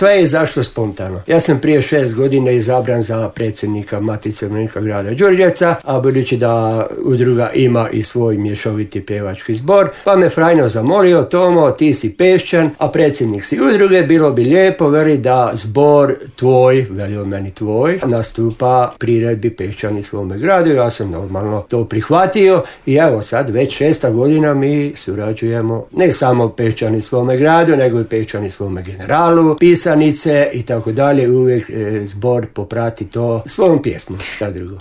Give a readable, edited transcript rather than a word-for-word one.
sve je izašlo spontano. Ja sam prije 6 godina izabran za predsjednika Matice umirovljenika grada Đurđevca, a budući da udruga ima i svoj mješoviti pjevački zbor, pa me Frajno zamolio: Tomo, ti si Pešćan, a predsjednik si udruge, bilo bi lijepo, veli, da zbor tvoj, veli on meni tvoj, nastupa priredbi Pešćani svome gradu. Ja sam normalno to prihvatio i evo sad već 6. godina mi surađujemo, ne samo Pešćani svome gradu, nego i Pešćani svome generalu, pisanice i tako dalje. Uvijek zbor poprati to svojom pjesmom, šta drugo.